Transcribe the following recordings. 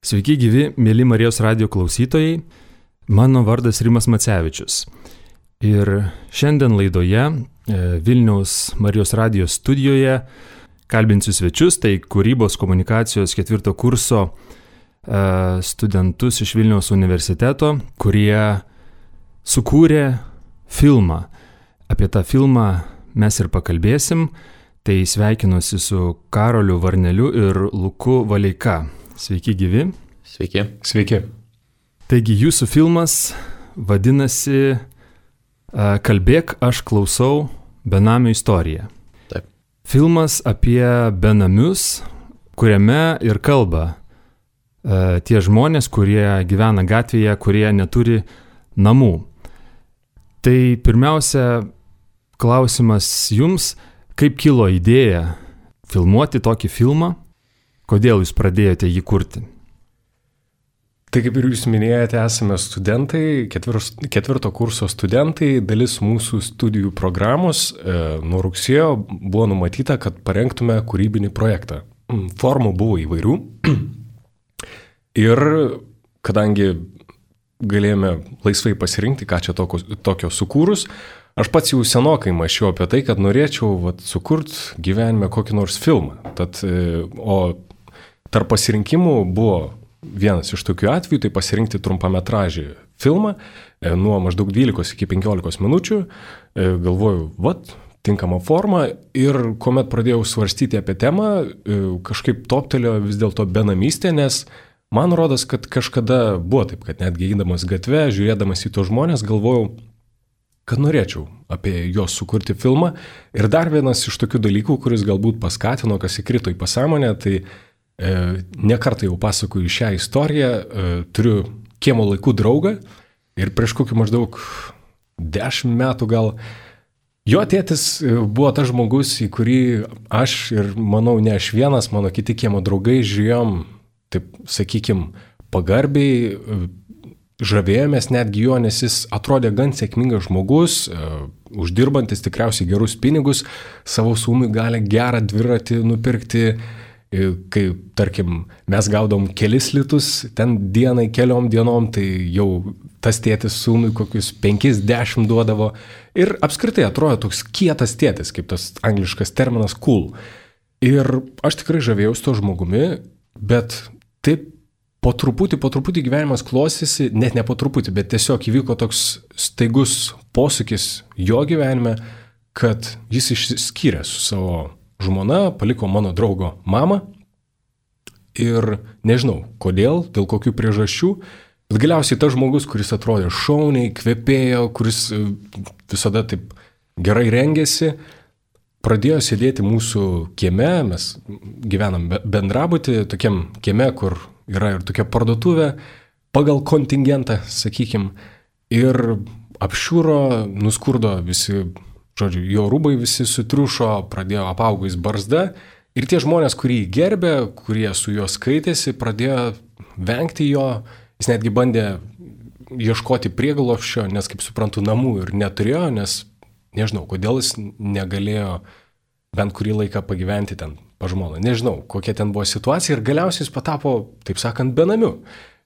Sveiki gyvi, mėly Marijos radijo klausytojai, mano vardas Rimas Macevičius. Ir šiandien laidoje Vilniaus Marijos radijo studijoje kalbinsiu svečius, tai kūrybos komunikacijos 4 kurso studentus iš Vilniaus universiteto, kurie sukūrė filmą. Apie tą filmą mes ir pakalbėsim, tai sveikinuosi su Karoliu Varneliu ir Luku Valeika. Sveiki gyvi. Sveiki. Sveiki. Taigi jūsų filmas vadinasi Kalbėk, aš klausau benamio istoriją. Taip. Filmas apie benamius, kuriame ir kalba tie žmonės, kurie gyvena gatvėje, kurie neturi namų. Tai pirmiausia klausimas jums, kaip kilo idėja filmuoti tokį filmą? Kodėl jūs pradėjote jį kurti? Tai kaip ir jūs minėjote, esame studentai, 4 kurso studentai, dalis mūsų studijų programos nuo rugsėjo buvo numatyta, kad parengtume kūrybinį projektą. Formų buvo įvairių ir kadangi galėjome laisvai pasirinkti, ką čia tokio sukūrus, aš pats jau senokai mąsčiau apie tai, kad norėčiau sukurti gyvenime kokį nors filmą. O tarp pasirinkimų buvo vienas iš tokių atvejų, tai pasirinkti trumpametražį filmą nuo maždaug 12 iki 15 minučių. Galvoju, tinkama forma, ir kuomet pradėjau svarstyti apie temą, kažkaip toptelėjo vis dėlto benamystė, nes man rodos, kad kažkada buvo taip, kad netgi eidamas gatve, žiūrėdamas į tos žmonės, galvojau, kad norėčiau apie juos sukurti filmą. Ir dar vienas iš tokių dalykų, kuris galbūt paskatino, kas įkrito į pasąmonę, tai nekartą jau pasakoju šią istoriją, turiu kiemo laikų draugą ir prieš kokį maždaug 10 metų gal jo tėtis buvo tas žmogus, į kurį aš ir manau ne aš vienas, mano kiti kiemo draugai žiūrėjom, taip sakykim, pagarbiai, žavėjomės netgi jo, nes jis atrodė gan sėkmingas žmogus, uždirbantis tikriausiai gerus pinigus, savo sūnui gali gerą dviratį nupirkti. Kai, tarkim, mes gaudom kelis litus ten dienai, keliom dienom, tai jau tas tėtis sūnui kokius 5-10 duodavo. Ir apskritai atrodo toks kietas tėtis, kaip tas angliškas terminas cool. Ir aš tikrai žavėjausi to žmogumi, bet taip po truputį gyvenimas klostėsi, net ne po truputį, bet tiesiog įvyko toks staigus posūkis jo gyvenime, kad jis išsiskyrė su savo žmona, paliko mano draugo mamą ir nežinau kodėl, dėl kokių priežasčių, bet galiausiai tas žmogus, kuris atrodė šauniai, kvepėjo, kuris visada taip gerai rengėsi, pradėjo sėdėti mūsų kieme, mes gyvenam bendrabuty, tokiam kieme, kur yra ir tokia parduotuvė, pagal kontingentą, sakykim, ir apšiūro, nuskurdo visi. Žodžiu, jo rūbai visi sutriušo, pradėjo apaugais barzda ir tie žmonės, kurie jį gerbė, kurie su juo skaitėsi, pradėjo vengti jo. Jis netgi bandė ieškoti prieglobsčio, nes, kaip suprantu, namų ir neturėjo, nes nežinau, kodėl jis negalėjo bent kurį laiką pagyventi ten pas žmoną. Nežinau, kokia ten buvo situacija ir galiausiai jis patapo, taip sakant, benamiu.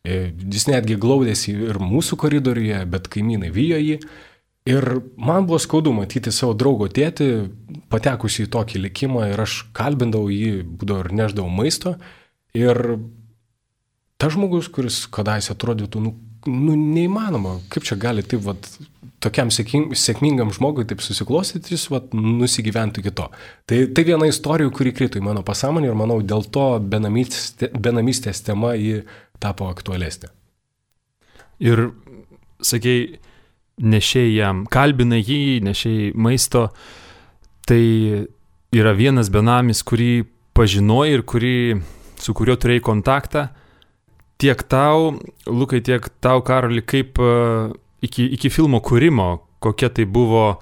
Jis netgi glaudėsi ir mūsų koridoriuje, bet kaimynai vijo jį. Ir man buvo skaudu matyti savo draugo tėtį, patekusi į tokį likimą, ir aš kalbindavau jį, būdavo ir neždavau maisto. Ir tas žmogus, kuris kadaise atrodytų, neįmanoma, kaip čia gali taip, tokiam sėkmingam žmogui taip susiklostyti, jis nusigyventų iki to. Tai viena istorija, kuri krito į mano pasąmonę ir manau, dėl to benamystės tema ji tapo aktualesnė. Ir, sakei, nešiai jam, kalbina jį, nešiai maisto, tai yra vienas benamis, kurį pažinoji ir su kuriuo turėjai kontaktą. Tiek tau, Lukai, tiek tau, Karoli, kaip iki filmo kūrimo, kokia tai buvo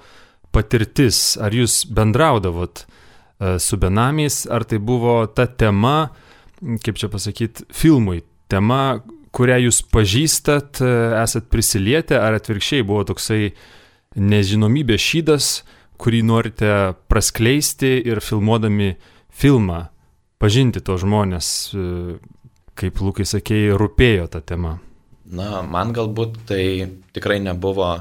patirtis, ar jūs bendraudavot su benamiais, ar tai buvo ta tema, kaip čia pasakyti, filmui, tema, kurią jūs pažįstat, esat prisilietę, ar atvirkščiai buvo toksai nežinomybės šydas, kurį norite praskleisti ir filmuodami filmą, pažinti tos žmonės. kaip Lukai sakėjai, rūpėjo ta tema? Na, man galbūt tai tikrai nebuvo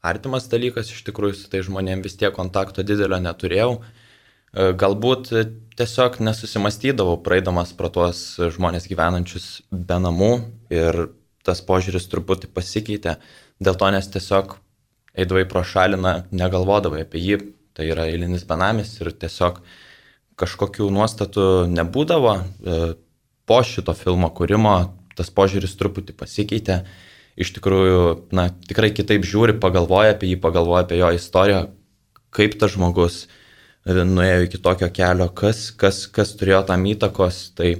artimas dalykas, iš tikrųjų su tai žmonėm vis tiek kontakto didelio neturėjau. Galbūt tiesiog nesusimastydavau, praeidamas pro tuos žmonės gyvenančius be namų ir tas požiūris truputį pasikeitė. Dėl to, nes tiesiog eidavai pro šalį, negalvodavai apie jį, tai yra eilinis benamis ir tiesiog kažkokių nuostatų nebūdavo. Po šito filmo kūrimo tas požiūris truputį pasikeitė. Iš tikrųjų, tikrai kitaip žiūri, pagalvoja apie jį, pagalvoja apie jo istoriją, kaip tas žmogus nuėjo iki tokio kelio, kas turėjo tam įtakos, tai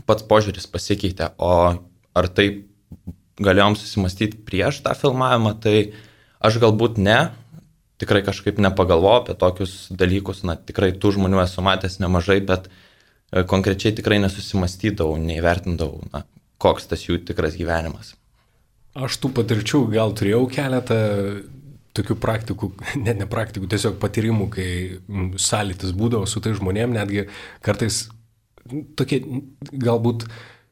pats požiūris pasikeitė. O ar tai galėjom susimastyti prieš tą filmavimą, tai aš galbūt ne, tikrai kažkaip nepagalvojau apie tokius dalykus, tikrai tų žmonių esu matęs nemažai, bet konkrečiai tikrai nesusimastydavau, neįvertindavau, koks tas jų tikras gyvenimas. Aš tų patirčių gal turėjau keletą tokių praktikų, ne praktikų, tiesiog patyrimų, kai sąlytis būdavo su tai žmonėm, netgi kartais tokie galbūt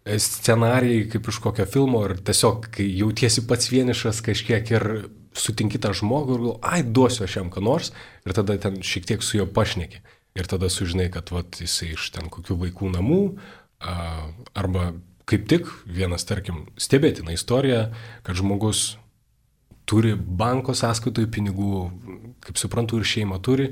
scenarijai kaip iš kokio filmo ir tiesiog, kai jautiesi pats vienišas kažkiek ir sutinki tą žmogų ir galvoji, duosiu aš jam ką nors ir tada ten šiek tiek su juo pašneki. Ir tada sužinai, kad jisai iš ten kokių vaikų namų arba kaip tik vienas, tarkim, stebėtina istorija, kad žmogus turi banko sąskaitoje pinigų, kaip suprantu, ir šeima turi,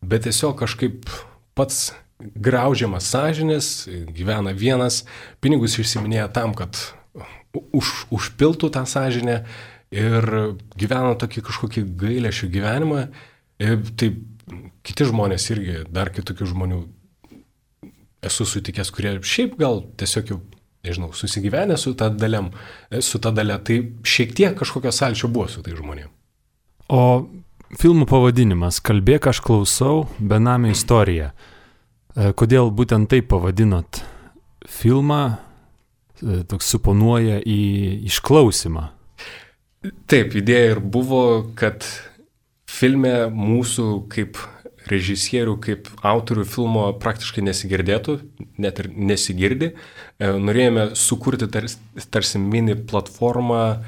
bet tiesiog kažkaip pats graužiamas sąžinės, gyvena vienas, pinigus išsiminėja tam, kad užpiltų tą sąžinę ir gyvena tokį kažkokį gailesčių gyvenimą. Ir taip kiti žmonės irgi, dar kitokių žmonių esu sutikęs, kurie šiaip gal tiesiog jau nežinau, susigyvenę su ta dalia, tai šiek tiek kažkokio sąlyčio buvo su tai žmonėm. O filmų pavadinimas Kalbėk, aš klausau, benamio istorija. Kodėl būtent taip pavadinot filmą, toks suponuoja į išklausimą? Taip, idėja ir buvo, kad filme mūsų kaip režisierių, kaip autorių filmo praktiškai nesigirdėtų, net ir nesigirdi. Norėjome sukurti tarsi mini platformą,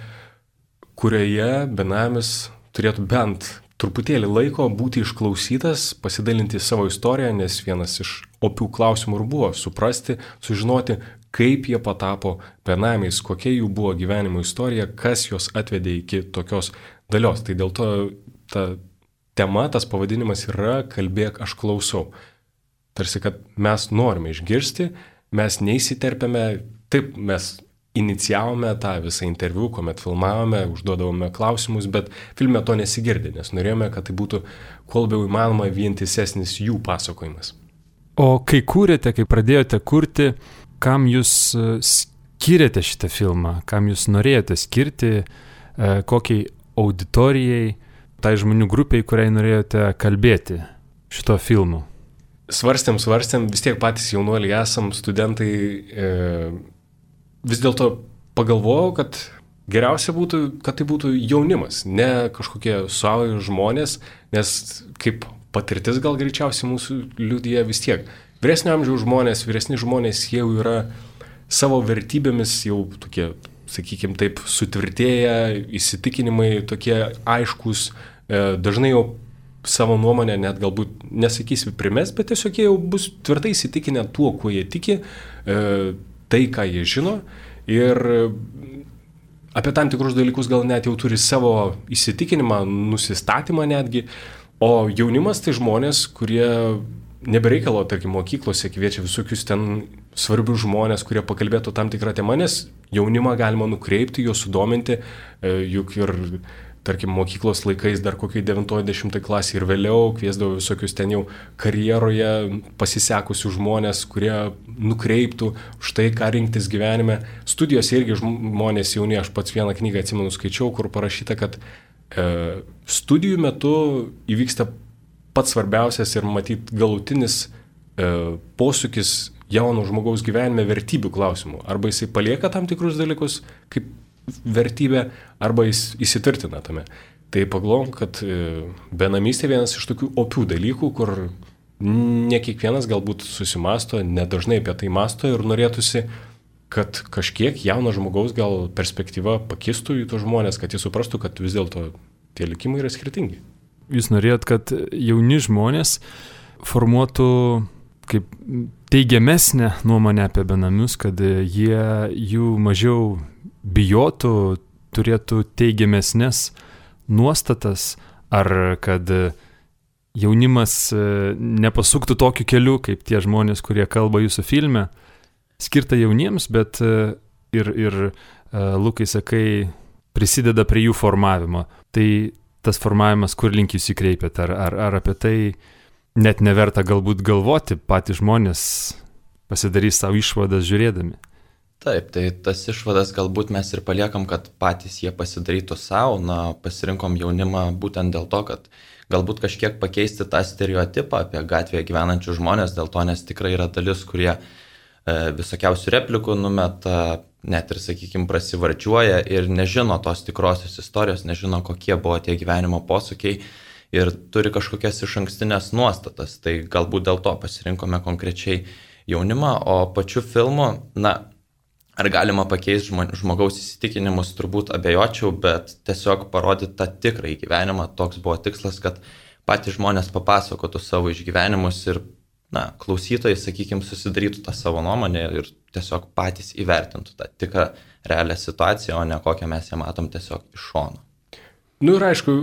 kurioje benamis turėtų bent truputėlį laiko būti išklausytas, pasidalinti savo istoriją, nes vienas iš opių klausimų ir buvo suprasti, sužinoti, kaip jie patapo benamiais, kokia jų buvo gyvenimo istorija, kas juos atvedė iki tokios dalios. Tai dėl to ta tema, tas pavadinimas yra Kalbėk, aš klausau. Tarsi, kad mes norime išgirsti, mes neįsiterpėme, taip mes inicijavome tą visą interviu, kuomet filmavome, užduodavome klausimus, bet filme to nesigirdi, nes norėjome, kad tai būtų kuo labiau įmanoma vientisesnis jų pasakojimas. O kai kūrėte, kai pradėjote kurti, kam jūs skyrėte šitą filmą, kam jūs norėjote skirti, kokiai auditorijai, tai žmonių grupiai, kuriai norėjote kalbėti šito filmu? Svarstėm, vis tiek patys jaunuoliai esam, studentai, vis dėlto pagalvojau, kad geriausia būtų, kad tai būtų jaunimas, ne kažkokie suaugę žmonės, nes kaip patirtis gal greičiausiai mūsų liudija vis tiek. Vyresnio amžiaus žmonės, vyresni žmonės jau yra savo vertybėmis jau tokie, sakykime taip, sutvirtėję, įsitikinimai tokie aiškus, dažnai jau savo nuomonę net galbūt nesakysi primes, bet tiesiog jie jau bus tvirtai įsitikinę tuo, kuo jie tiki, tai, ką jie žino ir apie tam tikrus dalykus gal net jau turi savo įsitikinimą, nusistatymą netgi, o jaunimas tai žmonės, kurie nebereikalo, tarkim, mokyklose kviečia visokius ten svarbius žmonės, kurie pakalbėtų tam tikrą temą, nes jaunimą galima nukreipti, juos sudominti, juk ir tarkim, mokyklos laikais dar kokiai 9-10 klasė ir vėliau kviesdavo visokius ten jau karjeroje pasisekusių žmonės, kurie nukreiptų už tai, ką rinktis gyvenime. Studijose irgi žmonės jauni, aš pats vieną knygą atsimenu skaičiau, kur parašyta, kad studijų metu įvyksta pats svarbiausias ir matyt galutinis posūkis jauno žmogaus gyvenime vertybių klausimų. Arba jisai palieka tam tikrus dalykus kaip vertybė, arba jis įsitvirtina tame. Tai pagalvojom, kad benamystė vienas iš tokių opių dalykų, kur ne kiekvienas galbūt susimasto, nedažnai apie tai masto ir norėtųsi kad kažkiek jauno žmogaus gal perspektyva pakistų į tos žmonės, kad jis suprastų, kad vis dėlto tie likimai yra skirtingi. Jūs norėjot, kad jauni žmonės formuotų kaip teigiamesnę nuomonę apie benamius, kad jų mažiau bijotų, turėtų teigiamesnės nuostatas, ar kad jaunimas nepasuktų tokiu keliu, kaip tie žmonės, kurie kalba jūsų filme, skirta jauniems, bet ir Lukai, sakai, prisideda prie jų formavimo. Tai tas formavimas, kur link jūs įkreipėt, ar apie tai net neverta galbūt galvoti, patys žmonės pasidarys savo išvadas žiūrėdami? Taip, tai tas išvadas galbūt mes ir paliekam, kad patys jie pasidarytų savo, pasirinkom jaunimą būtent dėl to, kad galbūt kažkiek pakeisti tą stereotipą apie gatvėje gyvenančių žmonės, dėl to, nes tikrai yra dalis, kurie visokiausių replikų numeta, net ir, sakykime, prasivardžiuoja ir nežino tos tikrosios istorijos, nežino, kokie buvo tie gyvenimo posūkiai ir turi kažkokias išankstinės nuostatas. Tai galbūt dėl to pasirinkome konkrečiai jaunimą, o pačiu filmu, ar galima pakeisti žmogaus įsitikinimus, turbūt abejočiau, bet tiesiog parodyti tą tikrąjį gyvenimą. Toks buvo tikslas, kad patys žmonės papasakotų savo išgyvenimus ir klausytojai, sakykime, susidarytų tą savo nuomonę ir tiesiog patys įvertintų tą tikrą realią situaciją, o ne kokią mes ją matom tiesiog iš šono. Ir aišku,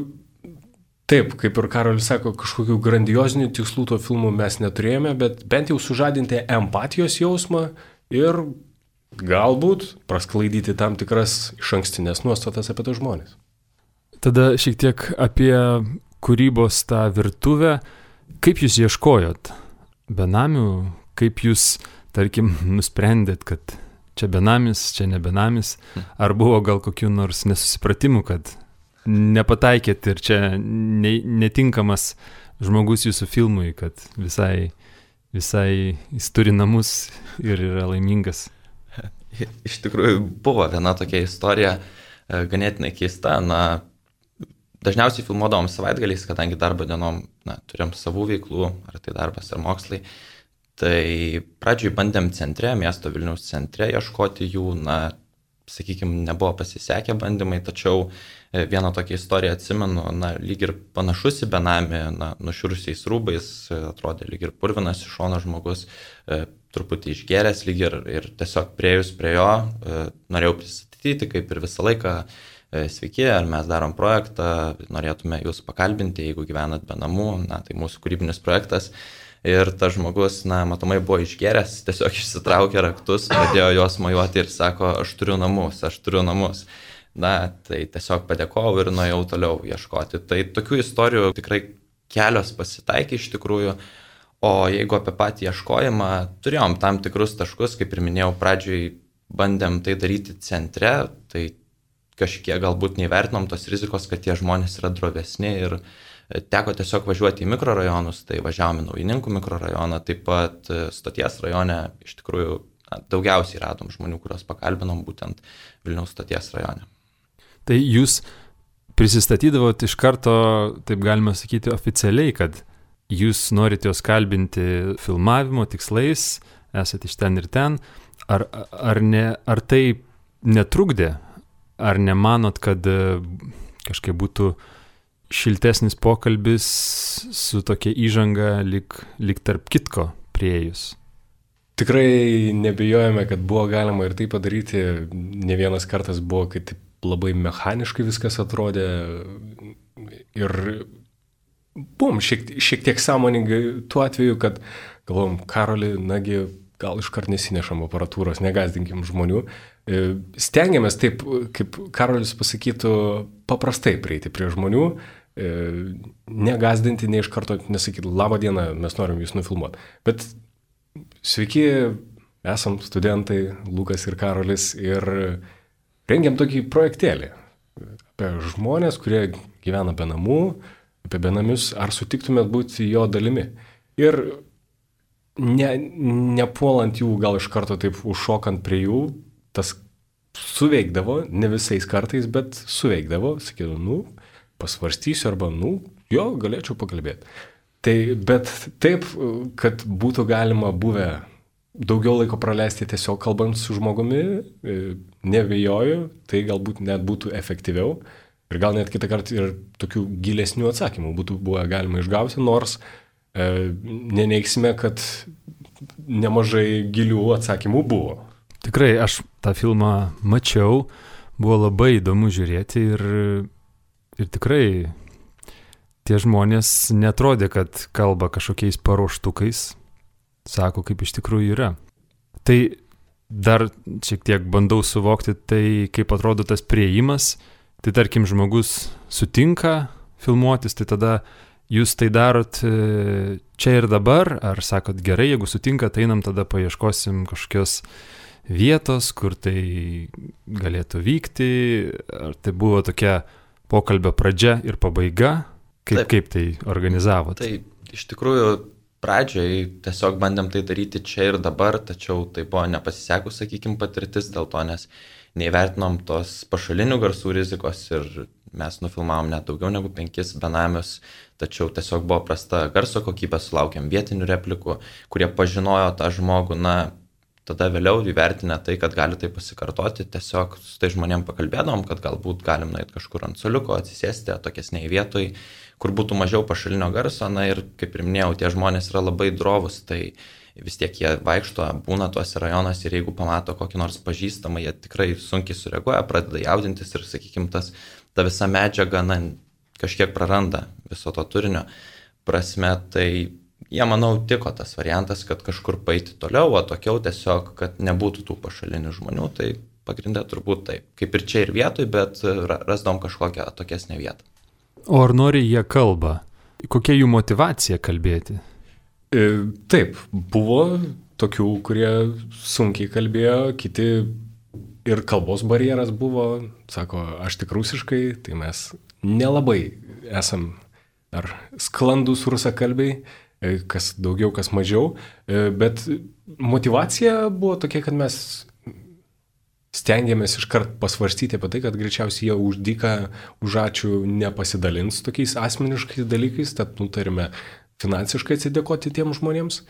taip, kaip ir Karolis sako, kažkokių grandiozinių tikslų to filmų mes neturėjome, bet bent jau sužadinti empatijos jausmą ir galbūt prasklaidyti tam tikras išankstinės nuostatas apie tos žmonės. Tada šiek tiek apie kūrybos tą virtuvę. Kaip jūs ieškojot benamių? Kaip jūs, tarkim, nusprendėt, kad čia benamis, čia ne benamis? Ar buvo gal kokių nors nesusipratimų, kad nepataikėt ir čia netinkamas žmogus jūsų filmui, kad visai jis turi namus ir yra laimingas? Iš tikrųjų buvo viena tokia istorija, ganėtinai keista. Dažniausiai filmuodavom savaitgaliais, kadangi darbo dienom turėjom savų veiklų, ar tai darbas, ar mokslai. Tai pradžioj bandėm centre, miesto Vilniaus centre ieškoti jų, sakykime, nebuvo pasisekę bandymai, tačiau vieną tokią istoriją atsimenu, lyg ir panašus į benamį, nušiurusiais rūbais, atrodė lyg ir purvinas iš šono žmogus, truputį išgėręs lyg ir tiesiog priejus prie jo, norėjau pristatyti, kaip ir visą laiką, sveiki, ar mes darom projektą, norėtume jūs pakalbinti, jeigu gyvenat be namų, tai mūsų kūrybinis projektas. Ir tas žmogus, matomai buvo išgėręs, tiesiog išsitraukė raktus, pradėjo juos mojuoti ir sako, aš turiu namus. Tai tiesiog padėkojau ir nuėjau toliau ieškoti. Tai tokių istorijų tikrai kelios pasitaikė iš tikrųjų. O jeigu apie patį ieškojimą, turėjom tam tikrus taškus, kaip ir minėjau, pradžioj bandėm tai daryti centre, tai kažkiek galbūt neįvertinom tos rizikos, kad tie žmonės yra drovesni ir teko tiesiog važiuoti į mikrorajonus, tai važiavome į Naujininkų mikrorajoną, taip pat Stoties rajone, iš tikrųjų daugiausiai radom žmonių, kuriuos pakalbinom būtent Vilniaus Stoties rajone. Tai jūs prisistatydavot iš karto, taip galima sakyti, oficialiai, kad jūs norite juos kalbinti filmavimo tikslais, esate iš ten ir ten, ar tai netrukdė? Ar nemanot, kad kažkaip būtų šiltesnis pokalbis su tokia įžanga lyg tarp kitko priėjus? Tikrai nebijojame, kad buvo galima ir tai padaryti. Ne vienas kartas buvo, kai taip labai mechaniškai viskas atrodė. Ir buvom šiek tiek sąmoningai tuo atveju, kad galvom, Karoli, gal iškart nesinešam aparatūros, negazdinkim žmonių. Stengiamės taip, kaip Karolis pasakytų, paprastai prieiti prie žmonių, negazdinti, ne iš karto nesakyti, labą dieną, mes norim jūs nufilmuoti. Bet sveiki, esam studentai, Lukas ir Karolis, ir rengiam tokį projektėlį apie žmonės, kurie gyvena be namų, apie benamius, ar sutiktumėt būti jo dalimi. Ir nepuolant jų, gal iš karto taip užšokant prie jų, tas suveikdavo, ne visais kartais, bet suveikdavo, sakydavo, pasvarstysiu arba, jo, galėčiau pakalbėti. Tai, bet taip, kad būtų galima buvę daugiau laiko praleisti tiesiog kalbant su žmogumi, nebejoju, tai galbūt net būtų efektyviau ir gal net kitą kartą ir tokių gilesnių atsakymų būtų buvę galima išgauti, nors neneiksime, kad nemažai gilių atsakymų buvo. Tikrai, aš tą filmą mačiau, buvo labai įdomu žiūrėti ir tikrai tie žmonės netrodė, kad kalba kažkokiais paruoštukais, sako, kaip iš tikrųjų yra. Tai dar šiek tiek bandau suvokti tai, kaip atrodo tas priėjimas. Tai tarkim, žmogus sutinka filmuotis, tai tada jūs tai darot čia ir dabar, ar sakot gerai, jeigu sutinka, tai einam tada paieškosim kažkokios vietos, kur tai galėtų vykti, ar tai buvo tokia pokalbio pradžia ir pabaiga, kaip tai organizavot? Tai iš tikrųjų pradžioj tiesiog bandėm tai daryti čia ir dabar, tačiau tai buvo nepasisekus, sakykime, patirtis dėl to, nes neįvertinom tos pašalinių garsų rizikos ir mes nufilmavom net daugiau negu 5 benamius, tačiau tiesiog buvo prasta garso kokybė, sulaukėm vietinių replikų, kurie pažinojo tą žmogų, tada vėliau įvertinę tai, kad gali tai pasikartoti, tiesiog su tai žmonėm pakalbėdom, kad galbūt galim nueiti kažkur ant suoliuko, atsisėsti atokesnėje vietoje, kur būtų mažiau pašalinio garso, ir kaip ir minėjau, tie žmonės yra labai drovus, tai vis tiek jie vaikšto, būna tuose rajonuose ir jeigu pamato kokį nors pažįstamą, jie tikrai sunkiai sureaguoja, pradeda jaudintis ir, sakykime, ta visa medžiaga kažkiek praranda viso to turinio prasme, tai jie, manau, tiko tas variantas, kad kažkur paeiti toliau, atokiau tiesiog, kad nebūtų tų pašalinių žmonių, tai pagrindė turbūt taip, kaip ir čia ir vietoj, bet rasdom kažkokią atokesnę vietą. O ar nori jie kalba? Kokia jų motyvacija kalbėti? Taip, buvo tokių, kurie sunkiai kalbėjo, kiti ir kalbos barjeras buvo, sako, aš tik rusiškai, tai mes nelabai esam ar sklandus rusakalbiai, kas daugiau, kas mažiau, bet motyvacija buvo tokia, kad mes stengiamės iškart pasvarstyti apie tai, kad greičiausiai jie už dyką, už ačiū nepasidalins tokiais asmeniškais dalykais, tad nutarime finansiškai atsidėkoti tiems žmonėms.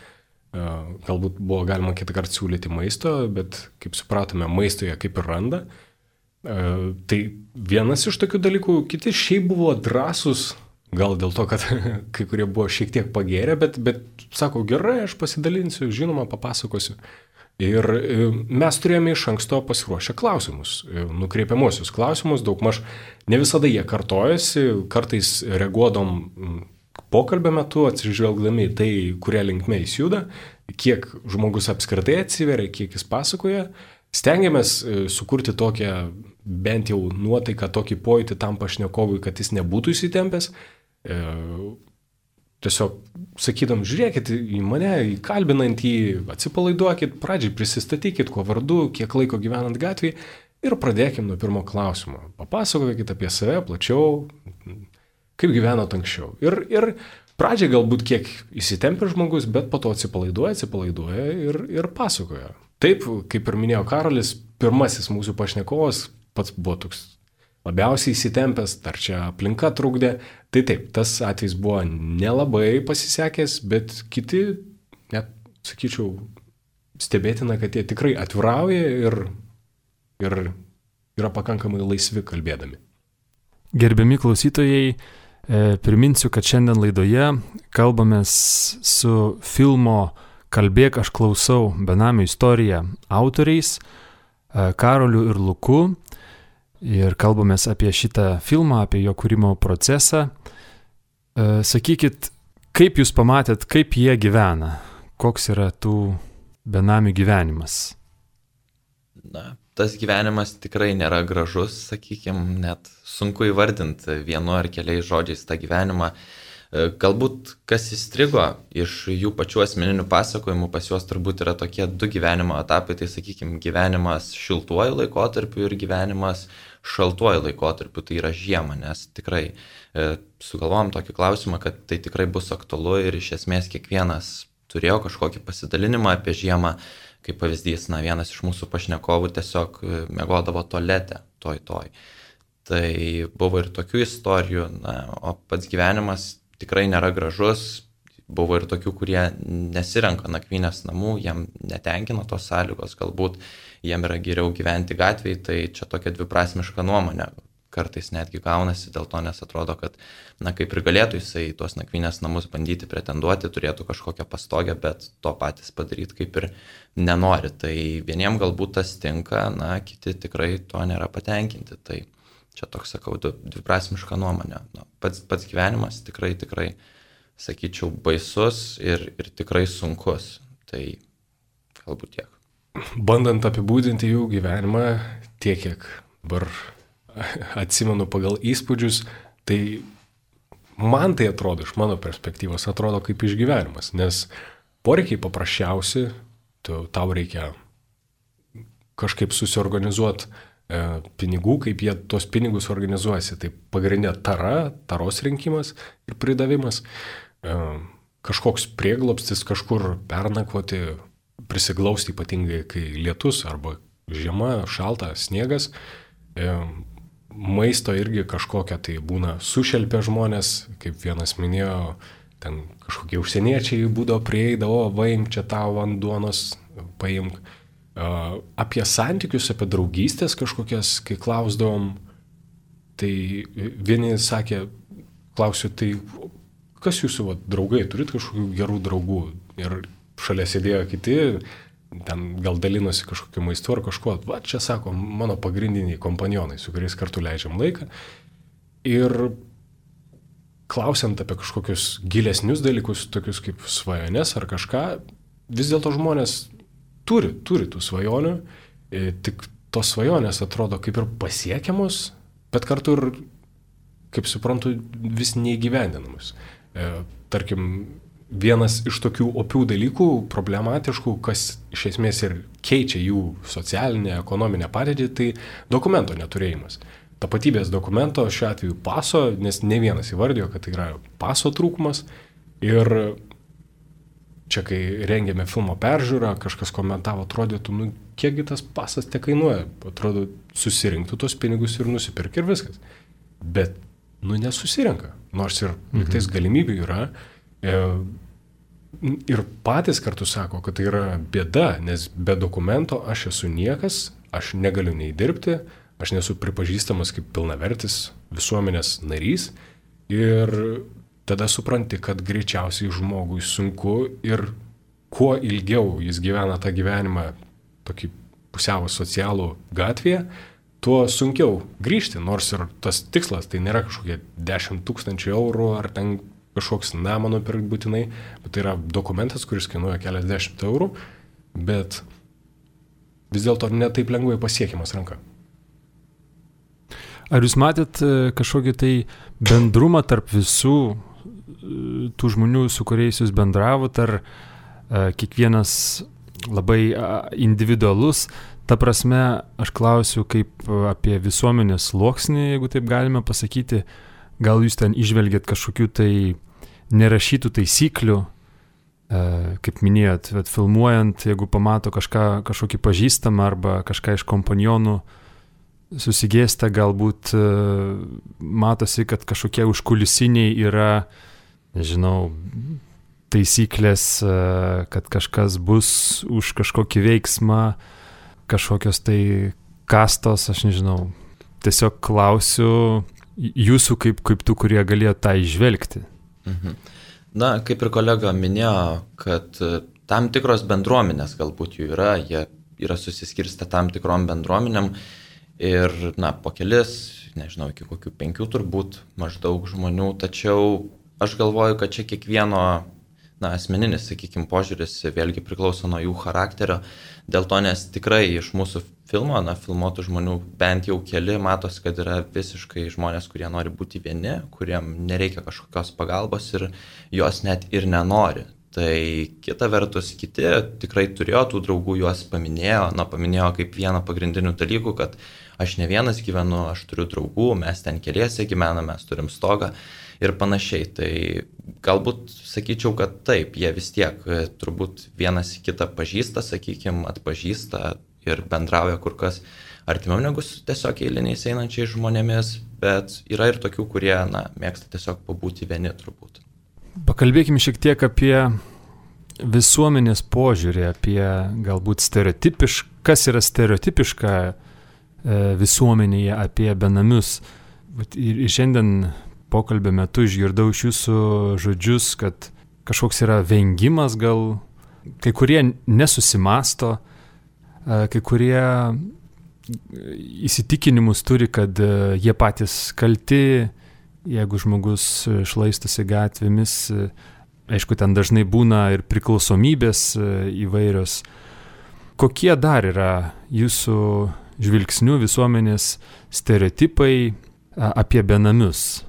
Galbūt buvo galima kitą kartą siūlyti maisto, bet kaip supratome, maisto jie kaip ir randa. Tai vienas iš tokių dalykų, kiti šiaip buvo drąsus, gal dėl to, kad kai kurie buvo šiek tiek pagėrę, bet sako, gerai, aš pasidalinsiu, žinoma, papasakosiu. Ir mes turėjome iš anksto pasiruošę klausimus, nukreipiamuosius klausimus, daugmaž ne visada jie kartojasi, kartais reaguodom pokalbio metu, atsižvelgdami į tai, kurie linkme jis juda, kiek žmogus apskritai atsiveria, kiek jis pasakoja. Stengiamės sukurti tokią bent jau nuotaiką, tokį pojūtį tam pašnekovui, kad jis nebūtų įsitempęs. Tiesiog sakydam, žiūrėkit į mane, įkalbinantį, atsipalaiduokit, pradžiai prisistatykit, kuo vardu, kiek laiko gyvenant gatvėje ir pradėkim nuo pirmo klausimo. Papasakokit apie save plačiau, kaip gyvenot anksčiau. Ir pradžiai galbūt kiek įsitempia žmogus, bet po to atsipalaiduoja ir pasakoja. Taip, kaip ir minėjo Karolis, pirmasis mūsų pašnekovas pats buvo toks labiausiai įsitempęs, dar čia aplinka trukdė. Tai taip, tas atvejs buvo nelabai pasisekęs, bet kiti, net sakyčiau, stebėtina, kad jie tikrai atvirauja ir yra pakankamai laisvi kalbėdami. Gerbiami klausytojai, priminsiu, kad šiandien laidoje kalbamės su filmo Kalbėk, aš klausau benamių istoriją autoriais Karoliu ir Luku. Ir kalbamės apie šitą filmą, apie jo kūrimo procesą. Sakykit, kaip jūs pamatėt, kaip jie gyvena? Koks yra tų benamių gyvenimas? Tas gyvenimas tikrai nėra gražus, sakykime, net sunku įvardinti vienu ar keliais žodžiais tą gyvenimą. Galbūt kas įstrigo iš jų pačių asmeninių pasakojimų, pas juos turbūt yra tokie 2 gyvenimo etapai, tai sakykime, gyvenimas šiltuoju laikotarpiu ir gyvenimas šaltuoju laikotarpiu, tai yra žiema, nes tikrai sugalvojom tokį klausimą, kad tai tikrai bus aktualu ir iš esmės kiekvienas turėjo kažkokį pasidalinimą apie žiemą, kaip pavyzdys, vienas iš mūsų pašnekovų tiesiog miegodavo tualete, toj. Tai buvo ir tokių istorijų, o pats gyvenimas tikrai nėra gražus, buvo ir tokių, kurie nesirenka nakvynės namų, jiem netenkina tos sąlygos, galbūt jiem yra geriau gyventi gatvėje, tai čia tokia dviprasmiška nuomonė. Kartais netgi gaunasi dėl to, nes atrodo, kad, kaip ir galėtų jisai tuos nakvynės namus bandyti pretenduoti, turėtų kažkokią pastogę, bet to patys padaryti kaip ir nenori. Tai vieniem galbūt tas tinka, kiti tikrai to nėra patenkinti. Tai čia toks, sakau, dviprasmiška nuomonė. Pats gyvenimas tikrai, sakyčiau, baisus ir tikrai sunkus. Tai galbūt tiek. Bandant apibūdinti jų gyvenimą, tiek kiek dabar atsimenu pagal įspūdžius, tai man tai atrodo, iš mano perspektyvos, atrodo kaip išgyvenimas, nes poreikiai paprasčiausi, tau reikia kažkaip susiorganizuoti pinigų, kaip jie tos pinigus organizuojasi. Tai pagrindinė taros rinkimas ir pridavimas, kažkoks prieglobstis, kažkur pernakvoti, prisiglausti ypatingai, kai lietus arba žiema, šalta, sniegas. Maisto irgi kažkokia tai būna sušelpia žmonės, kaip vienas minėjo, ten kažkokie užsieniečiai būdavo prieidavo, vaimk čia tau ant duonos, paimk. Apie santykius, apie draugystės kažkokias, kai klausdavom, tai vieni sakė, klausiu, tai kas jūsų draugai, turit kažkokių gerų draugų? Ir šalia sėdėjo kiti, ten gal dalinosi kažkokiu maistu ar kažkuo. Va, čia sako, mano pagrindiniai kompanionai, su kuriais kartu leidžiam laiką. Ir klausiant apie kažkokius gilesnius dalykus, tokius kaip svajonės ar kažką, vis dėlto žmonės turi tų svajonių, tik tos svajonės atrodo kaip ir pasiekiamos, bet kartu ir, kaip suprantu, vis neįgyvendinamus. Tarkim, vienas iš tokių opių dalykų, problematiškų, kas iš esmės ir keičia jų socialinę, ekonominę padėtį, tai dokumento neturėjimas. Tapatybės dokumento, šiuo atveju paso, nes ne vienas įvardijo, kad tai yra paso trūkumas. Ir čia, kai rengėme filmo peržiūrą, kažkas komentavo, atrodytų, kiekgi tas pasas te kainuoja. Atrodo, susirinktų tos pinigus ir nusipirk ir viskas. Bet, nesusirenka. Nors ir tais galimybių yra. Ir patys kartu sako, kad tai yra bėda, nes be dokumento aš esu niekas, aš negaliu nei dirbti, aš nesu pripažįstamas kaip pilnavertis visuomenės narys ir tada supranti, kad greičiausiai žmogui sunku ir kuo ilgiau jis gyvena tą gyvenimą tokį pusiau socialų gatvėje, tuo sunkiau grįžti, nors ir tas tikslas tai nėra kažkokie 10 000 eurų ar ten kažkoks namą nupirkti būtinai, bet tai yra dokumentas, kuris kainuoja keliasdešimt eurų, bet vis dėlto netaip lengvai pasiekiamas ranka. Ar jūs matėt kažkokį tai bendrumą tarp visų tų žmonių, su kuriais jūs bendravot, ar kiekvienas labai individualus? Ta prasme, aš klausiu kaip apie visuomenės sluoksnį, jeigu taip galime pasakyti. Gal jūs ten išvelgėt kažkokių tai nerašytų taisyklių, kaip minėjot, filmuojant, jeigu pamato kažkokį pažįstamą arba kažką iš kompanionų susigėsta, galbūt matosi, kad kažkokie užkulisiniai yra, nežinau, taisyklės, kad kažkas bus už kažkokį veiksmą, kažkokios tai kastos, aš nežinau. Tiesiog klausiu jūsų kaip tų, kurie galėjo tą išvelgti. Kaip ir kolega minėjo, kad tam tikros bendruomenės galbūt jų yra, jie yra susiskirstę tam tikrom bendruomenėm ir, po kelis, nežinau, iki kokių 5 turbūt maždaug žmonių, tačiau aš galvoju, kad čia kiekvieno asmeninis, sakykime, požiūris vėlgi priklauso nuo jų charakterio, dėl to, nes tikrai iš mūsų filmo, filmuotų žmonių bent jau keli matos, kad yra visiškai žmonės, kurie nori būti vieni, kuriem nereikia kažkokios pagalbos ir jos net ir nenori. Tai kita vertus, kiti tikrai turėjo tų draugų, juos paminėjo kaip vieną pagrindinių dalykų, kad aš ne vienas gyvenu, aš turiu draugų, mes ten keliese gyvename, mes turim stogą ir panašiai. Tai galbūt sakyčiau, kad taip, jie vis tiek turbūt vienas kitą pažįsta, sakykime, atpažįsta ir bendrauja kur kas artimiau negu tiesiog eiliniais einančiais žmonėmis, bet yra ir tokių, kurie mėgsta tiesiog pabūti vieni turbūt. Pakalbėkime šiek tiek apie visuomenės požiūrį, apie galbūt kas yra stereotipiška visuomenėje apie benamius. Ir šiandien pokalbio metu išgirdau iš jūsų žodžius, kad kažkoks yra vengimas, gal kai kurie nesusimasto, kai kurie įsitikinimus turi, kad jie patys kalti, jeigu žmogus šlaistosi gatvėmis. Aišku, ten dažnai būna ir priklausomybės įvairios. Kokie dar yra jūsų žvilgsnių visuomenės stereotipai apie benamius?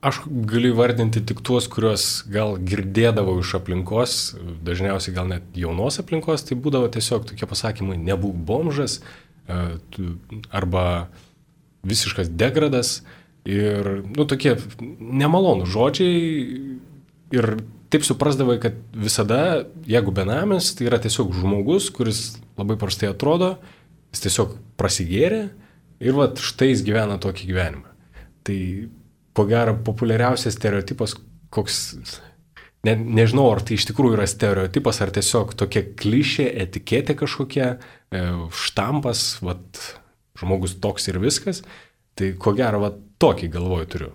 Aš galiu įvardinti tik tuos, kuriuos gal girdėdavau iš aplinkos, dažniausiai gal net jaunos aplinkos, tai būdavo tiesiog tokie pasakymai: nebūk bomžas arba visiškas degradas ir, tokie nemalonūs žodžiai. Ir taip suprasdavai, kad visada, jeigu benamis, tai yra tiesiog žmogus, kuris labai prastai atrodo, jis tiesiog prasigėrė ir štai jis gyvena tokį gyvenimą. Tai ko gero populiariausias stereotipas, nežinau, ar tai iš tikrųjų yra stereotipas, ar tiesiog tokia klišė, etiketė kažkokia, štampas, žmogus toks ir viskas, tai ko gero tokį galvoju turiu.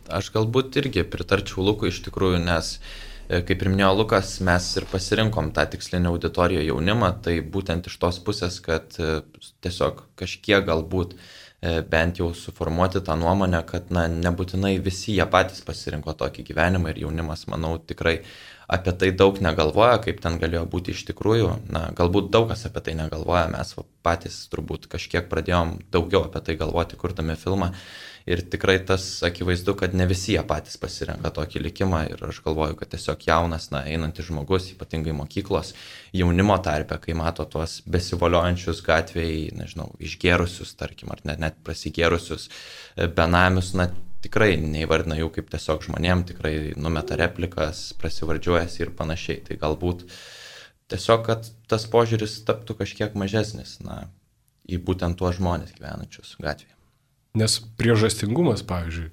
Aš galbūt irgi pritarčiau Lukui iš tikrųjų, nes, kaip ir minėjo Lukas, mes ir pasirinkom tą tikslinę auditoriją jaunimą, tai būtent iš tos pusės, kad tiesiog kažkiek galbūt bent jau suformuoti tą nuomonę, kad nebūtinai visi jie patys pasirinko tokį gyvenimą ir jaunimas, manau, tikrai apie tai daug negalvoja, kaip ten galėjo būti iš tikrųjų. Galbūt daug kas apie tai negalvoja, mes patys turbūt kažkiek pradėjom daugiau apie tai galvoti, kurdami filmą. Ir tikrai tas akivaizdu, kad ne visi jie patys pasirenka tokį likimą ir aš galvoju, kad tiesiog jaunas, einantis žmogus, ypatingai mokyklos jaunimo tarpe, kai mato tuos besivoliojančius gatvėje, nežinau, išgėrusius, tarkim, ar net prasigėrusius benamius, tikrai neįvardina jų kaip tiesiog žmonėm, tikrai numeta replikas, prasivardžiuojasi ir panašiai. Tai galbūt tiesiog, kad tas požiūris taptų kažkiek mažesnis, į būtent tuos žmonės gyvenančius gatvėje. Nes priežastingumas, pavyzdžiui,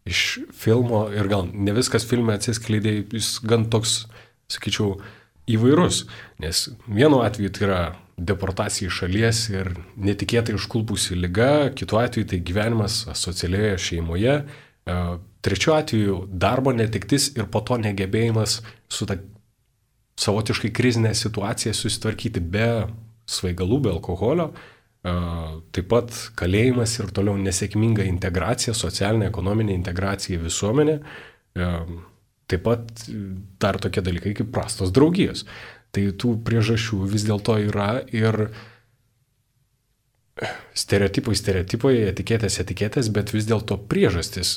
iš filmo, ir gal ne viskas filme atsiskleidė, jis gan toks, sakyčiau, įvairus. Nes vienu atveju tai yra deportacija iš šalies ir netikėtai užkulpusi liga, kitu atveju tai gyvenimas asocialioje šeimoje, trečiu atveju darbo netektis ir po to negebėjimas su ta savotiškai krizinė situacija susitvarkyti be svaigalų, be alkoholio. Taip pat kalėjimas ir toliau nesėkminga integracija, socialinė, ekonominė integracija į visuomenę. Taip pat dar tokie dalykai kaip prastos draugijos. Tai tų priežasčių vis dėlto yra ir stereotipai, etiketės, bet vis dėlto priežastis.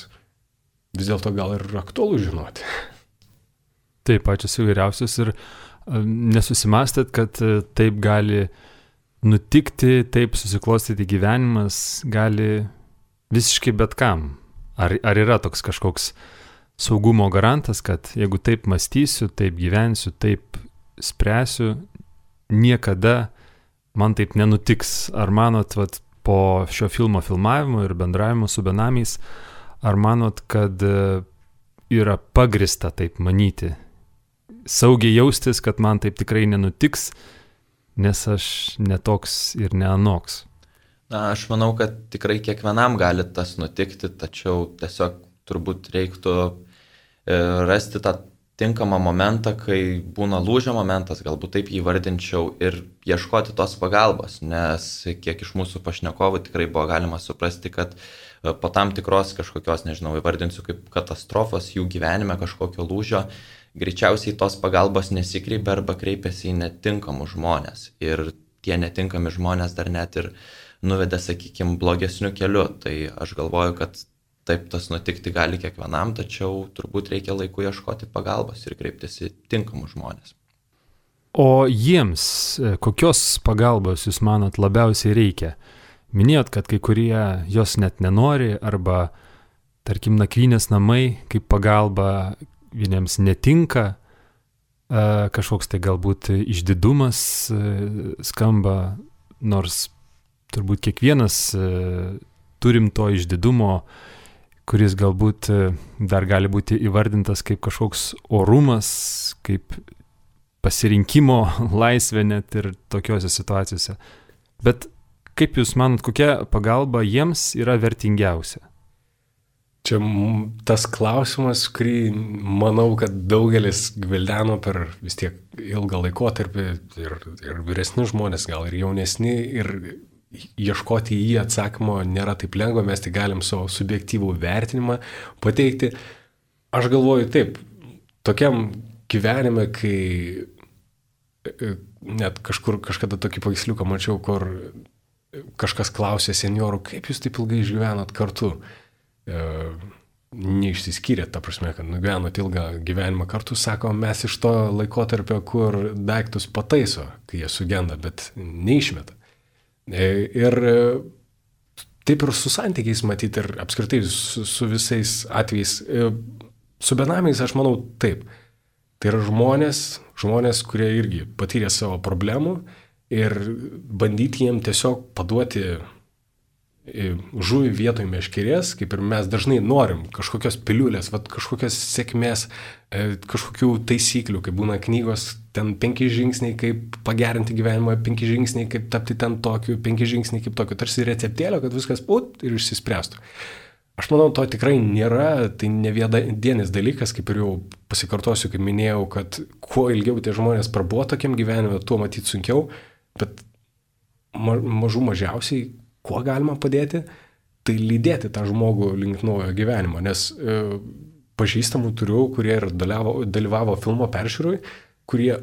Vis dėlto gal ir aktualu žinoti. Taip, pačios įvairiausios ir nesusimastėt, kad taip gali nutikti, taip susiklostyti gyvenimas gali visiškai bet kam. Ar yra toks kažkoks saugumo garantas, kad jeigu taip mąstysiu, taip gyvensiu, taip spręsiu, niekada man taip nenutiks? Ar manot, po šio filmo filmavimo ir bendravimo su benamiais, ar manot, kad yra pagrista taip manyti? Saugiai jaustis, kad man taip tikrai nenutiks, nes aš netoks ir neanoks. Aš manau, kad tikrai kiekvienam gali tas nutikti, tačiau tiesiog turbūt reiktų rasti tą tinkamą momentą, kai būna lūžio momentas, galbūt taip jį vardinčiau, ir ieškoti tos pagalbos, nes kiek iš mūsų pašnekovų tikrai buvo galima suprasti, kad po tam tikros kažkokios, nežinau, įvardinsiu kaip katastrofos jų gyvenime kažkokio lūžio, greičiausiai tos pagalbos nesikreipia arba kreipiasi į netinkamus žmonės. Ir tie netinkami žmonės dar net ir nuvedė, sakykime, blogesniu keliu. Tai aš galvoju, kad taip tas nutikti gali kiekvienam, tačiau turbūt reikia laiku ieškoti pagalbos ir kreiptis į tinkamus žmonės. O jiems kokios pagalbos jūs manot labiausiai reikia? Minėjot, kad kai kurie jos net nenori, arba, tarkim, nakvynės namai kaip pagalba vieniems netinka, kažkoks tai galbūt išdidumas skamba, nors turbūt kiekvienas turim to išdidumo, kuris galbūt dar gali būti įvardintas kaip kažkoks orumas, kaip pasirinkimo laisvė net ir tokiuose situacijose. Bet kaip Jūs manot, kokia pagalba jiems yra vertingiausia? Čia tas klausimas, kurį manau, kad daugelis gvildeno per vis tiek ilgą laikotarpį ir vyresni žmonės, gal ir jaunesni, ir ieškoti į jį atsakymo nėra taip lengva, mes tik galim savo subjektyvų vertinimą pateikti. Aš galvoju taip, tokiam gyvenime, kai net kažkada tokį paveiksliuką mačiau, kur kažkas klausė seniorų, kaip jūs taip ilgai išgyvenot kartu? Neišsiskyrė, ta prasme, kad nugyvenot ilgą gyvenimą kartu, sako, mes iš to laikotarpio, kur daiktus pataiso, kai jie sugenda, bet neišmeta. Ir taip ir su santykiais matyti ir apskritai su visais atvejais. Su benamiais aš manau taip. Tai yra žmonės, kurie irgi patyrė savo problemų ir bandyti jiem tiesiog paduoti žuvį vietoj meškerės, kaip ir mes dažnai norim kažkokios piliulės, kažkokios sėkmės, kažkokių taisyklių, kaip būna knygos, ten 5 žingsniai, kaip pagerinti gyvenimą, 5 žingsniai, kaip tapti ten tokiu, 5 žingsniai kaip tokiu, tarsi receptėlio, kad viskas ir išsispręstų. Aš manau, to tikrai nėra, tai ne vienadienis dalykas, kaip ir jau pasikartosiu, kaip minėjau, kad kuo ilgiau tie žmonės prabuvo tokiam gyvenime, tuo matyti sunkiau, bet mažiausiai kuo galima padėti, tai lydėti tą žmogų link naujo gyvenimo, nes pažįstamų turiu, kurie ir dalyvavo filmo peržiūroj, kurie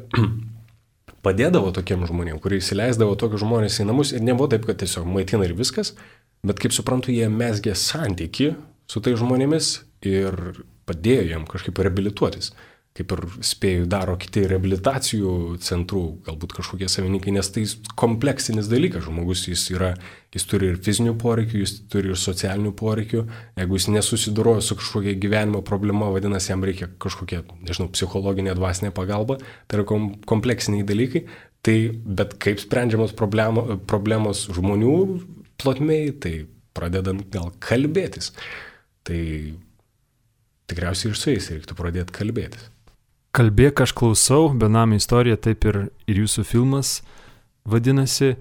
padėdavo tokiem žmonėm, kurie įsileisdavo tokius žmonės į namus ir nebuvo taip, kad tiesiog maitina ir viskas, bet kaip suprantu, jie mezgė santykį su tai žmonėmis ir padėjo jiem kažkaip reabilituotis. Kaip ir spėju daro kiti reabilitacijų centrų, galbūt kažkokie savininkai, nes tai kompleksinis dalykas. Žmogus jis turi ir fizinių poreikių, jis turi ir socialinių poreikių. Jeigu jis nesusiduroja su kažkokia gyvenimo problema, vadinasi, jam reikia kažkokia, psichologinė, dvasinė pagalba. Tai yra kompleksiniai dalykai. Tai, bet kaip sprendžiamos problemos žmonių plotmėj, tai pradedant gal kalbėtis. Tai tikriausiai ir su jais reiktų pradėti kalbėtis. Kalbėk, aš klausau, benamio istorija, taip ir jūsų filmas vadinasi.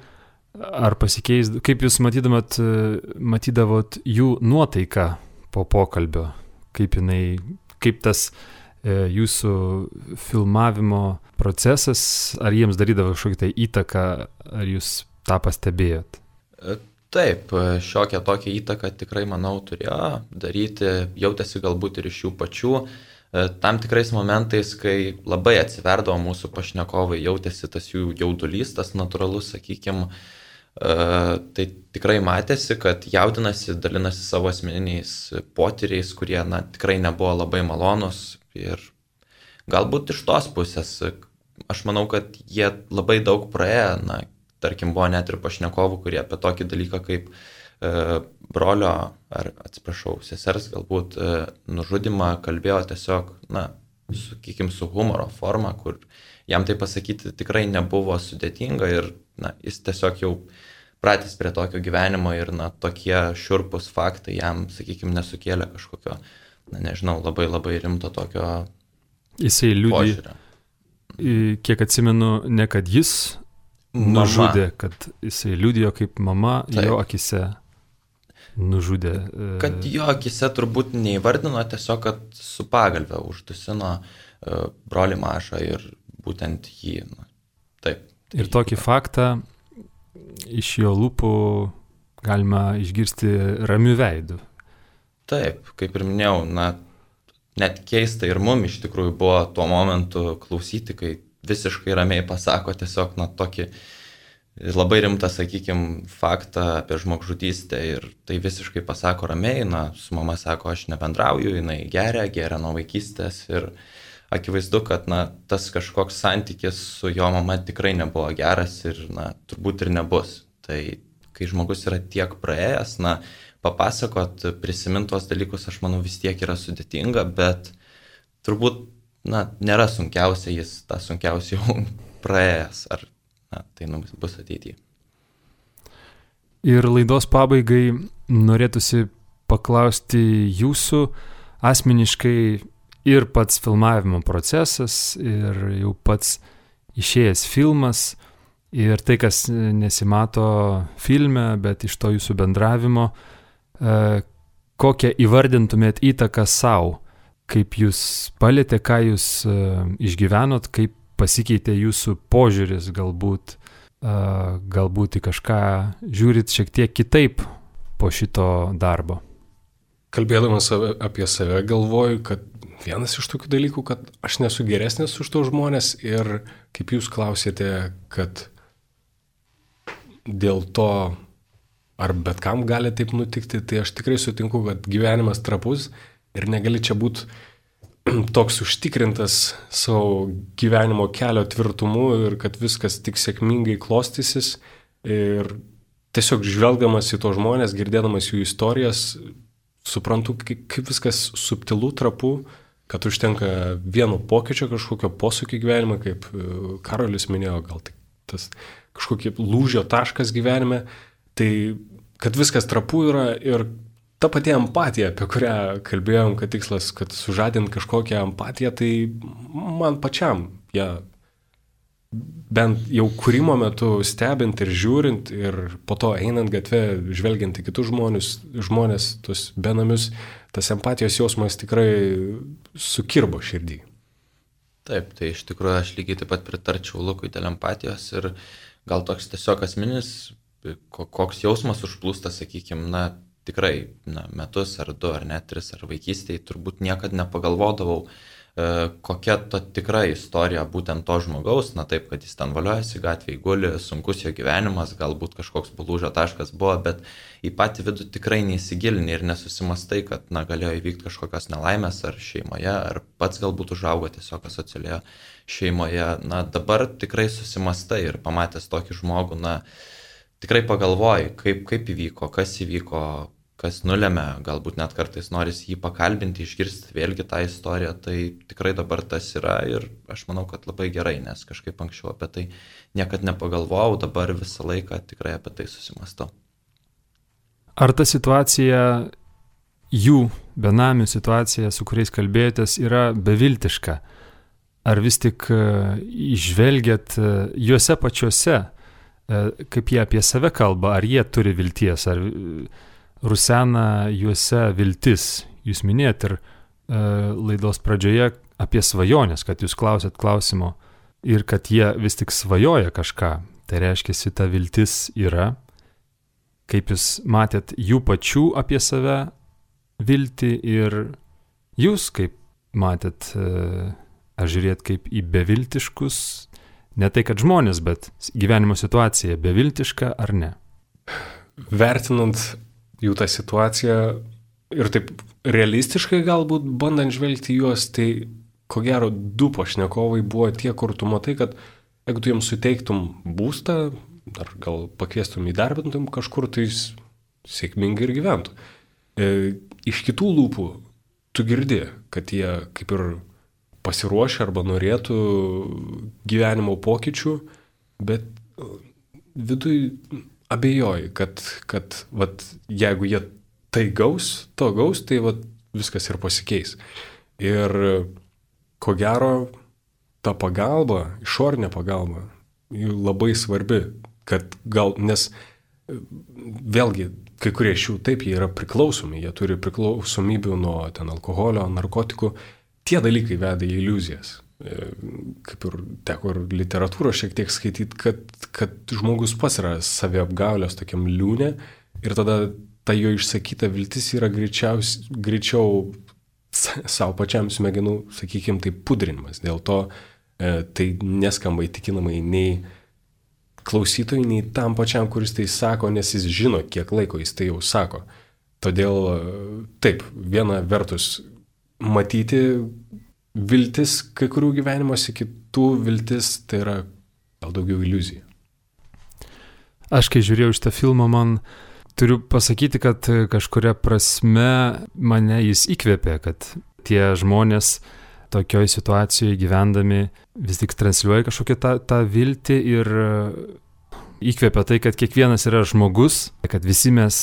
Ar pasikeis, kaip jūs matydavot jų nuotaiką po pokalbio? Kaip tas jūsų filmavimo procesas, ar jiems darydavo kažkokią tai įtaką, ar jūs tą pastebėjot? Taip, šiokią tokią įtaką tikrai, manau, turėjo daryti, jautėsi galbūt ir iš jų pačių. Tam tikrais momentais, kai labai atsiverdavo mūsų pašnekovai, jautėsi tas jų jaudulys, tas natūralus, sakykime, tai tikrai matėsi, kad jaudinasi, dalinasi savo asmeniniais potyriais, kurie tikrai nebuvo labai malonus. Ir galbūt iš tos pusės, aš manau, kad jie labai daug praėjo, tarkim, buvo net ir pašnekovų, kurie apie tokį dalyką kaip brolio, ar atsiprašau, sesers galbūt nužudimą kalbėjo tiesiog, sakykime, su humoro forma, kur jam tai pasakyti tikrai nebuvo sudėtinga ir jis tiesiog jau pratęs prie tokio gyvenimo ir tokie šiurpus faktai jam, sakykime, nesukėlė kažkokio, labai labai rimto tokio Jisai liudija, kiek atsimenu, ne kad jis nužudė, kad jisai liudijo kaip mama jo akise nužudė. Kad jo akise turbūt neįvardino, tiesiog, kad su pagalve uždusino brolį mažą ir būtent jį. Taip. Ir tokį faktą iš jo lūpų galima išgirsti ramių veidų. Taip, kaip ir minėjau, net keista ir mum iš tikrųjų buvo tuo momentu klausyti, kai visiškai ramiai pasako tiesiog tokį labai rimtą, sakykime, faktą apie žmogžudystę ir tai visiškai pasako ramiai, su mama sako, aš nebendrauju, jinai geria nuo vaikystės ir akivaizdu, kad tas kažkoks santykis su jo mama tikrai nebuvo geras ir turbūt ir nebus. Tai kai žmogus yra tiek praėjęs, papasakot, prisimintos dalykus, aš manau, vis tiek yra sudėtinga, bet turbūt nėra sunkiausia, jis tą sunkiausiai jau praėjęs, ar tai bus ateityje. Ir laidos pabaigai norėtųsi paklausti jūsų asmeniškai ir pats filmavimo procesas, ir jau pats išėjęs filmas, ir tai, kas nesimato filme, bet iš to jūsų bendravimo, kokią įvardintumėt įtaką savo, kaip jūs palėtė, ką jūs išgyvenot, kaip pasikeitė jūsų požiūris, galbūt į kažką žiūrit šiek tiek kitaip po šito darbo. Kalbėdamas apie save galvoju, kad vienas iš tokių dalykų, kad aš nesu geresnis už tos žmonės ir kaip jūs klausėte, kad dėl to ar bet kam gali taip nutikti, tai aš tikrai sutinku, kad gyvenimas trapus ir negali čia būti toks užtikrintas savo gyvenimo kelio tvirtumu ir kad viskas tik sėkmingai klostysis. Ir tiesiog žvelgdamas į to žmonės, girdėdamas jų istorijas, suprantu, kaip viskas subtilu, trapu, kad užtenka vieno pokyčio, kažkokio posūkio gyvenime, kaip Karolis minėjo, gal tik tas kažkokie lūžio taškas gyvenime, tai kad viskas trapu yra ir ta pati empatija, apie kurią kalbėjom, kad tikslas, kad sužadint kažkokią empatiją, tai man pačiam, bent jau kūrimo metu stebint ir žiūrint ir po to einant gatve, žvelgiant į kitus žmonės, tus benamius, tas empatijos jausmas tikrai sukirbo širdį. Taip, tai iš tikrųjų aš lygiai taip pat pritarčiau Lukui dėl empatijos ir gal toks tiesiog asmeninis, koks jausmas užplūsta, sakykime, tikrai metus ar 2 ar net 3 ar vaikystėje turbūt niekad nepagalvodavau, kokia ta tikra istorija būtent to žmogaus, taip, kad jis ten valiojasi gatvėje, guli, sunkus jo gyvenimas, galbūt kažkoks lūžio taškas buvo, bet į patį vidų tikrai neįsigilini ir nesusimastai, kad galėjo įvykti kažkokios nelaimės ar šeimoje, ar pats galbūt užaugo tiesiog asocialioje šeimoje. Dabar tikrai susimastai ir pamatęs tokį žmogų, tikrai pagalvoji, kaip įvyko, kas nulėmė, galbūt net kartais norisi jį pakalbinti, išgirsti vėlgi tą istoriją, tai tikrai dabar tas yra ir aš manau, kad labai gerai, nes kažkaip anksčiau apie tai niekad nepagalvojau, dabar visą laiką tikrai apie tai susimastau. Ar ta situacija, jų benamių situacija, su kuriais kalbėjotės, yra beviltiška? Ar vis tik išvelgiat juose pačiuose, kaip jie apie save kalba, ar jie turi vilties, ar rusena juose viltis? Jūs minėjot ir laidos pradžioje apie svajonės, kad jūs klausėt klausimo ir kad jie vis tik svajoja kažką. Tai reiškia, ta viltis yra. Kaip jūs matėt jų pačių apie save viltį ir jūs kaip matėt, ar žiūrėt kaip į beviltiškus, ne tai kad žmonės, bet gyvenimo situacija beviltiška ar ne? Vertinant jų tą situaciją ir taip realistiškai galbūt bandant žvelgti juos, tai ko gero 2 pašnekovai buvo tie, kur tu matai, kad jeigu tu jiems suteiktum būstą, ar gal pakviestum įdarbintum kažkur, tai jis sėkmingai ir gyventų. Iš kitų lūpų tu girdi, kad jie kaip ir pasiruošę arba norėtų gyvenimo pokyčių, bet viduj abejoju, kad jeigu jie tai gaus, tai viskas ir pasikeis. Ir ko gero, ta pagalba, išorinė pagalba, labai svarbi, kad nes vėlgi, kai kurie iš jų taip, jie yra priklausomi, jie turi priklausomybių nuo alkoholio, narkotikų, tie dalykai veda į iliuzijas. Kaip ir teko ir literatūros šiek tiek skaityti, kad žmogus pats yra saviapgaulės tokiam liūne ir tada ta jo išsakyta viltis yra greičiau savo pačiam smegenų, sakykime, tai pudrinimas. Dėl to tai neskamba įtikinamai nei klausytojui, nei tam pačiam, kuris tai sako, nes jis žino, kiek laiko jis tai jau sako. Todėl taip, viena vertus matyti viltis kai kurių gyvenimuose, kitų viltis tai yra gal daugiau iliuzija. Aš kai žiūrėjau šitą filmą, man turiu pasakyti, kad kažkuria prasme mane jis įkvėpė, kad tie žmonės tokioj situacijoje gyvendami vis tik transliuoja kažkokią tą viltį ir įkvėpia tai, kad kiekvienas yra žmogus, kad visi mes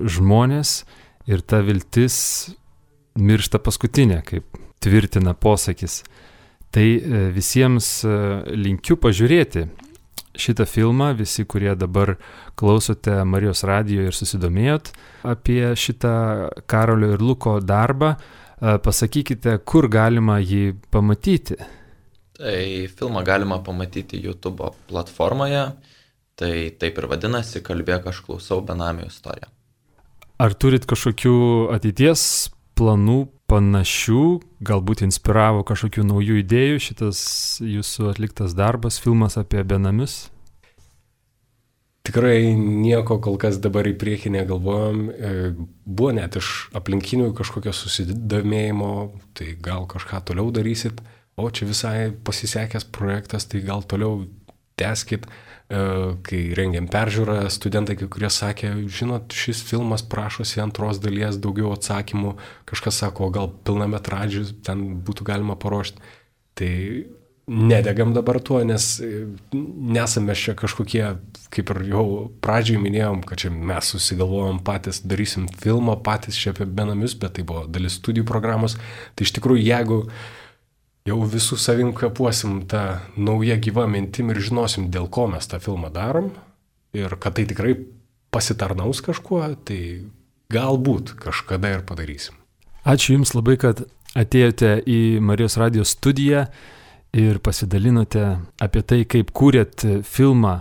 žmonės ir ta viltis miršta paskutinė, kaip tvirtina posakis. Tai visiems linkiu pažiūrėti šitą filmą, visi, kurie dabar klausote Marijos radijo ir susidomėjot apie šitą Karolio ir Luko darbą, pasakykite, kur galima jį pamatyti. Tai filmą galima pamatyti YouTube platformoje, tai taip ir vadinasi Kalbėk aš klausau benamių istoriją. Ar turit kažkokių ateities planų panašių, galbūt inspiravo kažkokių naujų idėjų šitas jūsų atliktas darbas, filmas apie benamius? Tikrai nieko kol kas dabar į priekį negalvojom. Buvo net iš aplinkinių kažkokio susidomėjimo, tai gal kažką toliau darysit, o čia visai pasisekęs projektas, tai gal toliau tęskit. Kai rengiam peržiūrą, studentai kai kurie sakė, žinot, šis filmas prašosi antros dalies, daugiau atsakymų, kažkas sako, gal pilnametražius ten būtų galima paruošti. Tai nedegam dabar tuo, nes nesame čia kažkokie, kaip ir jau pradžiai minėjom, kad čia mes susigalvojom patys, darysim filmą patys čia apie benamius, bet tai buvo dalis studijų programos. Tai iš tikrųjų, jeigu jau visų savim kapuosim tą naują gyvą mintim ir žinosim, dėl ko mes tą filmą darom ir kad tai tikrai pasitarnaus kažkuo, tai galbūt kažkada ir padarysim. Ačiū Jums labai, kad atėjote į Marijos radijos studiją ir pasidalinote apie tai, kaip kūrėt filmą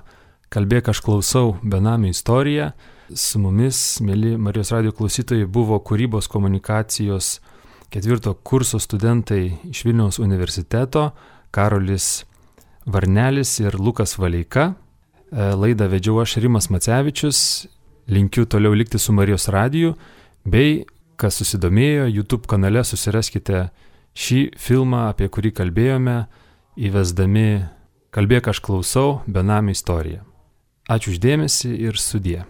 Kalbėk aš klausau benamių istoriją. Su mumis, mėly Marijos radijo klausytojai, buvo kūrybos komunikacijos 4 kurso studentai iš Vilniaus universiteto, Karolis Varnelis ir Lukas Valeika. Laidą vedžiau aš, Rimas Macevičius. Linkiu toliau likti su Marijos radiju, bei, kas susidomėjo, YouTube kanale susiraskite šį filmą, apie kurį kalbėjome, įvesdami Kalbėk aš klausau benamių istoriją. Ačiū už dėmesį ir sudie.